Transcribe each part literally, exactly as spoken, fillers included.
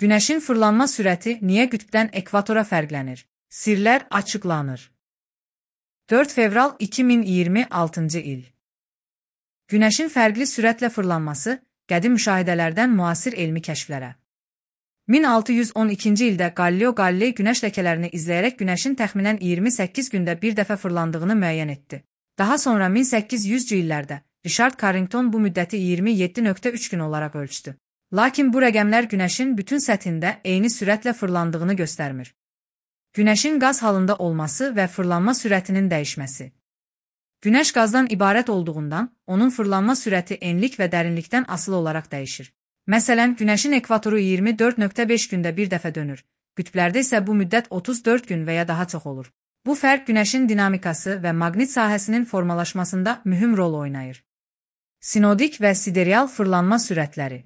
Günəşin fırlanma sürəti niyə qütbdən ekvatora fərqlənir? Sirlər açıqlanır. dörd fevral iki min iyirmi altıncı il. Günəşin fərqli sürətlə fırlanması qədim müşahidələrdən müasir elmi kəşflərə. min altı yüz on ikinci ildə Galileo Galilei günəş ləkələrini izləyərək günəşin təxminən iyirmi səkkiz gündə bir dəfə fırlandığını müəyyən etdi. Daha sonra min səkkiz yüzcü illərdə Richard Carrington bu müddəti iyirmi yeddi nöqtə üç gün olaraq ölçdü. Lakin bu rəqəmlər günəşin bütün səthində eyni sürətlə fırlandığını göstərmir. Günəşin qaz halında olması və fırlanma sürətinin dəyişməsi. Günəş qazdan ibarət olduğundan, onun fırlanma sürəti enlik və dərinlikdən asılı olaraq dəyişir. Məsələn, günəşin ekvatoru iyirmi dörd nöqtə beş gündə bir dəfə dönür, qütblərdə isə bu müddət otuz dörd gün və ya daha çox olur. Bu fərq günəşin dinamikası və maqnit sahəsinin formalaşmasında mühüm rol oynayır. Sinodik və sidereal fırlanma sürətləri.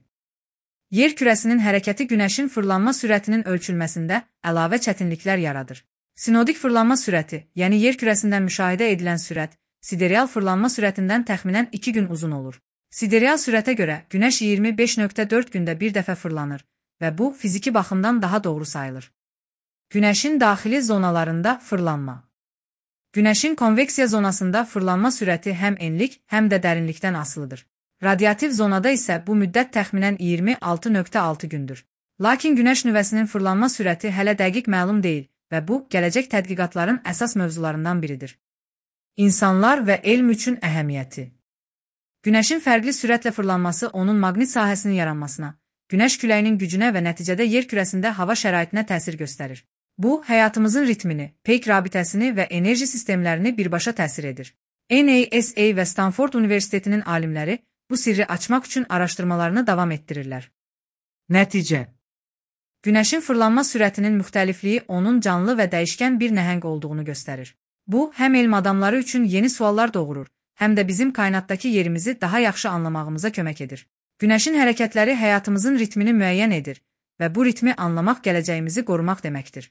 Yer kürəsinin hərəkəti günəşin fırlanma sürətinin ölçülməsində əlavə çətinliklər yaradır. Sinodik fırlanma sürəti, yəni yer kürəsindən müşahidə edilən sürət, sidereal fırlanma sürətindən təxminən iki gün uzun olur. Sidereal sürətə görə günəş iyirmi beş nöqtə dörd gündə bir dəfə fırlanır və bu fiziki baxımdan daha doğru sayılır. Günəşin daxili zonalarında fırlanma. Günəşin konveksiya zonasında fırlanma sürəti həm enlik, həm də dərinlikdən asılıdır. Radiativ zonada isə bu müddət təxminən iyirmi altı nöqtə altı gündür. Lakin günəş nüvəsinin fırlanma sürəti hələ dəqiq məlum deyil və bu, gələcək tədqiqatların əsas mövzularından biridir. İnsanlar və elm üçün əhəmiyyəti. Günəşin fərqli sürətlə fırlanması onun maqnit sahəsinin yaranmasına, günəş küləyinin gücünə və nəticədə yer kürəsində hava şəraitinə təsir göstərir. Bu, həyatımızın ritmini, peyk rabitəsini və enerji sistemlərini birbaşa təsir edir. N A S A və Stanford Universitetinin alimləri bu sirri açmaq üçün araşdırmalarını davam etdirirlər. Nəticə. Günəşin fırlanma sürətinin müxtəlifliyi onun canlı və dəyişkən bir nəhəng olduğunu göstərir. Bu, həm elm adamları üçün yeni suallar doğurur, həm də bizim kainatdakı yerimizi daha yaxşı anlamağımıza kömək edir. Günəşin hərəkətləri həyatımızın ritmini müəyyən edir və bu ritmi anlamaq gələcəyimizi qorumaq deməkdir.